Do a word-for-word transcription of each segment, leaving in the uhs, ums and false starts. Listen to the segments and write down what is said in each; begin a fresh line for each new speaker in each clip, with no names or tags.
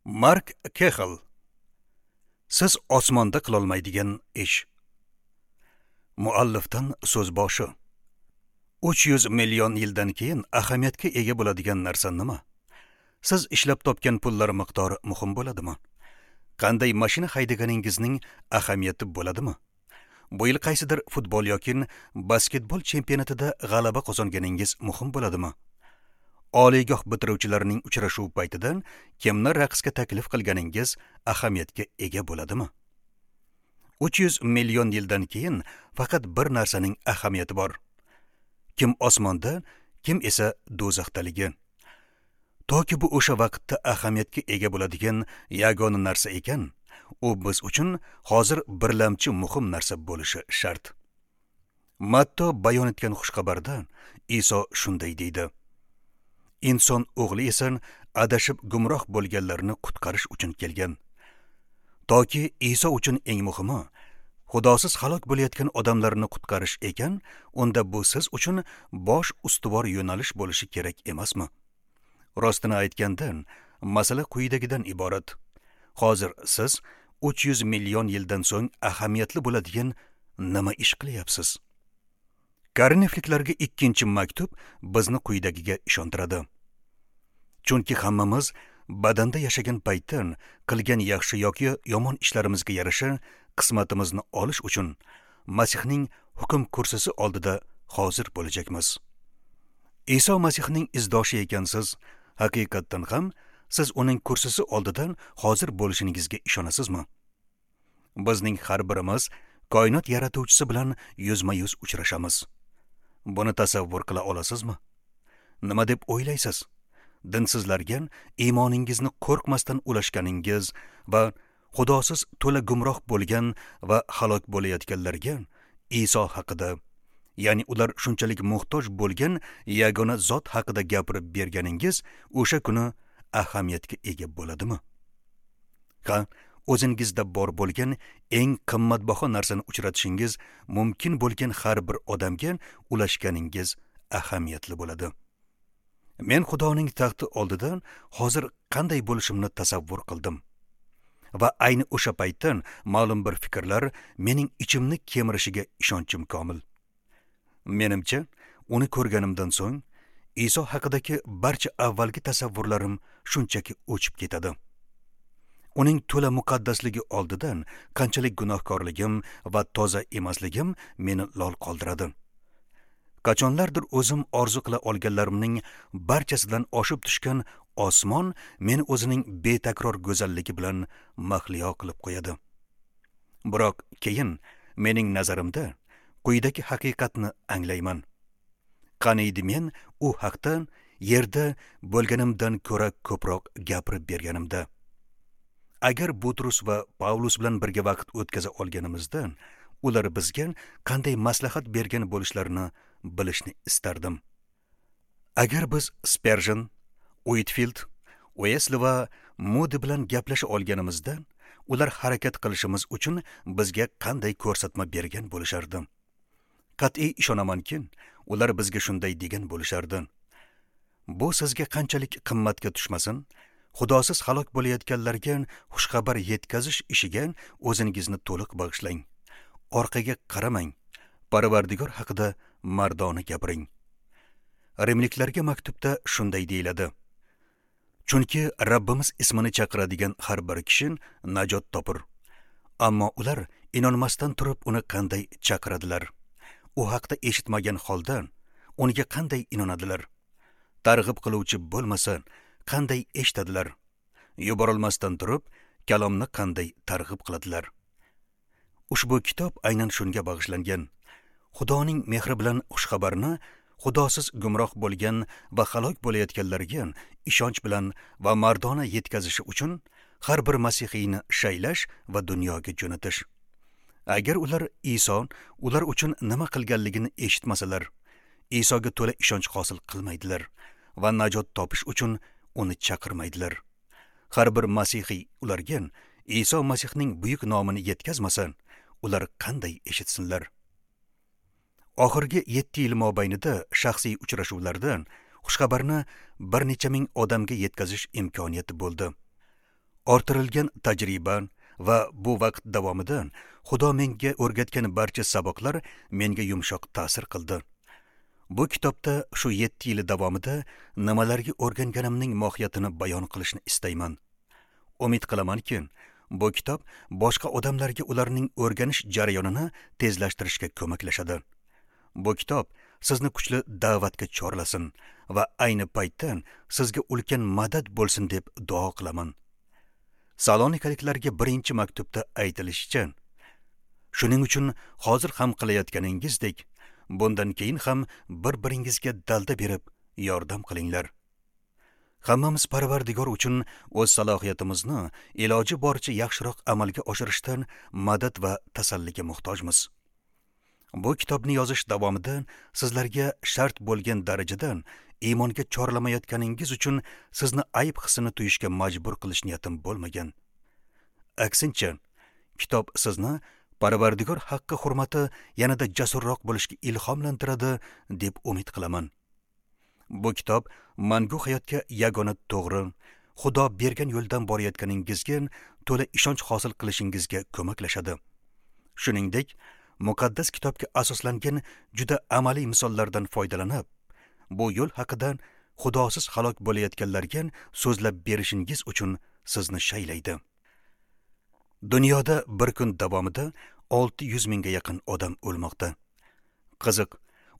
Mark Kexel. Siz osmonda qilolmaydigan ish. Muallifdan so'z boshi. uch yuz million yildan keyin ahamiyatga ega bo'ladigan narsa nima? Siz ishlab topgan pullar miqdori muhim bo'ladimi? Qanday mashina haydaganingizning ahamiyati bo'ladimi? Bu yil qaysidir futbol yoki basketbol chempionatida g'alaba qozonganingiz muhim bo'ladimi? Oliygoh bitiruvchilarining uchrashuv paytidan kimni raqsga taklif qilganingiz ahamiyatga ega bo'ladimi? uch yuz million yildan keyin faqat bir narsaning ahamiyati bor. Kim osmonda, kim esa do'zaxdaligi. Toki bu o'sha vaqtda ahamiyatga ega bo'ladigan yagona narsa ekan, u biz uchun hozir birlamchi muhim narsa bo'lishi shart. Matto bayon etgan xushxabarda Iso shunday deydi: Inson o'g'li esa adashib gumroh bo'lganlarni qutqarish uchun kelgan. Toki Iso uchun eng muhimi Xudosiz halok bo'layotgan odamlarni qutqarish ekan, unda bu siz uchun bosh ustuvor yo'nalish bo'lishi kerak emasmi? Rostini aytganda, masala quyidagidan iborat. Hozir siz uch yuz million yildan so'ng ahamiyatli bo'ladigan nima ish qilyapsiz? Korinfliklarga ikkinchi maktub bizni quyidagiga ishontiradi. Chunki hammamiz badanda yashagan paytdan qilgan yaxshi yoki yomon ishlarimizga yarasha qismatimizni olish uchun Masihning hukm kursisi oldida hozir bo'lajakmiz. Iso Masihning izdoshi ekansiz, haqiqatdan ham siz uning kursisi oldidan hozir bo'lishingizga ishonasizmi? Bizning har birimiz koinot yaratuvchisi bilan yuzma-yuz uchrashamiz. Buni tasavvur qila olasizmi? Nima deb o'ylaysiz? Dinsizlarga iymoningizni qo'rqmasdan ulashganingiz va Xudosiz to'la gumroh bo'lgan va halok bo'layotganlarga Iso haqida, ya'ni ular shunchalik muhtoj bo'lgan yagona zot haqida gapirib berganingiz o'sha kuni ahamiyatga ega bo'ladimi? Ha, o'zingizda bor bo'lgan eng qimmatbaho narsani uchratishingiz mumkin bo'lgan har bir odamga ulashganingiz ahamiyatli bo'ladi. Men Xudoning taxti oldida hozir qanday bo'lishimni tasavvur qildim. Va ayni o'sha paytdan ma'lum bir fikrlar mening ichimni kemirishiga ishonchim komil. Menimcha, uni ko'rganimdan so'ng Iso haqidagi barcha avvalgi tasavvurlarim shunchaki o'chib ketadi. Uning to'la muqaddasligi oldidan qanchalik gunohkorligim va toza emasligim meni lol qoldiradi. Qachonlardir o'zim orzu qila olganlarimning barchasidan oshib tushgan osmon meni o'zining betakror go'zalligi bilan mahliyo qilib qo'yadi. Biroq keyin mening nazarimda quyidagi haqiqatni anglayman. Qaniydi men u haqda yerda bo'lganimdan ko'ra ko'proq gapirib berganimda. Agar Butrus va Pavlus bilan birga vaqt o'tkaza olganimizda, ular bizga qanday maslahat bergan bo'lishlarini bilishni istardim. Agar biz Sperjen, Uitfield, Uesli va Mudi bilan gaplasha olganimizda, ular harakat qilishimiz uchun bizga qanday ko'rsatma bergan bo'lishardi. Qat'iy ishonamanki, ular bizga shunday degan bo'lishardi: Bu sizga qanchalik qimmatga tushmasin, Xudosiz halok bo'layotganlarga xushxabar yetkazish ishiga o'zingizni to'liq bag'ishlang. Orqaga qaramang, Parvardigor haqida mardona gapiring. Rimliklarga maktubda shunday deyiladi: Chunki Rabbimiz ismini chaqiradigan har bir kishi najot topur. Ammo ular inonmasdan turib uni qanday chaqiradilar? U haqda eshitmagan holda unga qanday inonadilar? Targ'ib qiluvchi bo'lmasa qanday eshitadilar? Yuborilmasdan turib kalomni qanday targ'ib qiladilar? Ushbu kitob aynan shunga bag'ishlangan. Xudoning mehri bilan xushxabarni Xudosiz gumroh bo'lgan va halok bo'layotganlarga ishonch bilan va mardona yetkazishi uchun har bir masihiyni shaylash va dunyoga jo'natish. Agar ular Iso ular uchun nima qilganligini eshitmasalar, Isoga to'la ishonch hosil qilmaydilar va najot topish uchun uni chaqirmaydilar. Har bir masihiy ularga Iso Masihning buyuk nomini yetkazmasa, ular qanday eshitsinlar? Oxirgi yetti yil mobaynida shaxsiy uchrashuvlarda xushxabarni bir necha ming odamga yetkazish imkoniyati bo'ldi. Orttirilgan tajriba va bu vaqt davomida Xudo menga o'rgatgan barcha saboqlar menga yumshoq ta'sir qildi. Bu kitobda shu yetti yil davomida nimalarga o'rganganimning mohiyatini bayon qilishni istayman. Umid qilamanki, bu kitob boshqa odamlarga ularning o'rganish jarayonini tezlashtirishga ko'maklashadi. Bu kitob sizni kuchli da'vatga chorlasin va ayni paytda sizga ulkan madad bo'lsin deb duo qilaman. Salonikaliklarga birinchi maktubda aytilishicha, shuning uchun hozir ham qilayotganingizdek, bundan keyin ham bir-biringizga dalda berib yordam qilinglar. Hammamiz Parvardigor uchun o'z salohiyatimizni iloji boricha yaxshiroq amalga oshirishdan madad va tasalliga muhtojmiz. Bu kitobni yozish davomida sizlarga shart bo'lgan darajadan iymonga chorlamayotganingiz uchun sizni ayb hissini tuyishga majbur qilish niyatim bo'lmagan. Aksincha, kitob sizni Parvardigor haqqi hurmati yanada jasurroq bo'lishga ilhomlantiradi deb umid qilaman. Bu kitob mangu hayotga yagona to'g'ri, Xudo bergan yo'ldan borayotganingizga to'la ishonch hosil qilishingizga ko'maklashadi. Shuningdek, muqaddas kitobga asoslangan juda amaliy misollardan foydalanib, bu yo'l haqida Xudosiz halok bo'layotganlarga so'zlab berishingiz uchun sizni shaylaydi. Dunyoda bir kun davomida olti yuz mingga yaqin odam o'lmoqda. Qiziq,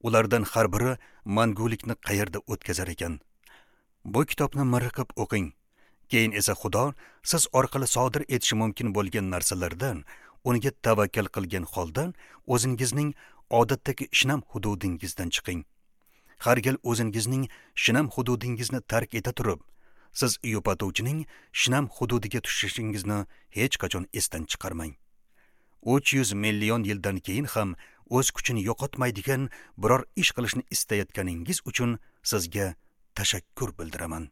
ulardan har biri mangulikni qayerda o'tkazar ekan? Bu kitobni miriqib o'qing. Keyin esa Xudo siz orqali sodir etishi mumkin bo'lgan narsalardan unga tavakkal qilgan holda o'zingizning odatdagi shinam hududingizdan chiqing. Har gal o'zingizning shinam hududingizni tark eta turib, siz yupatuvchining shinam hududiga tushishingizni hech qachon esdan chiqarmang. uch yuz million yildan keyin ham o'z kuchini yo'qotmaydigan biror ish qilishni istayotganingiz uchun sizga tashakkur bildiraman.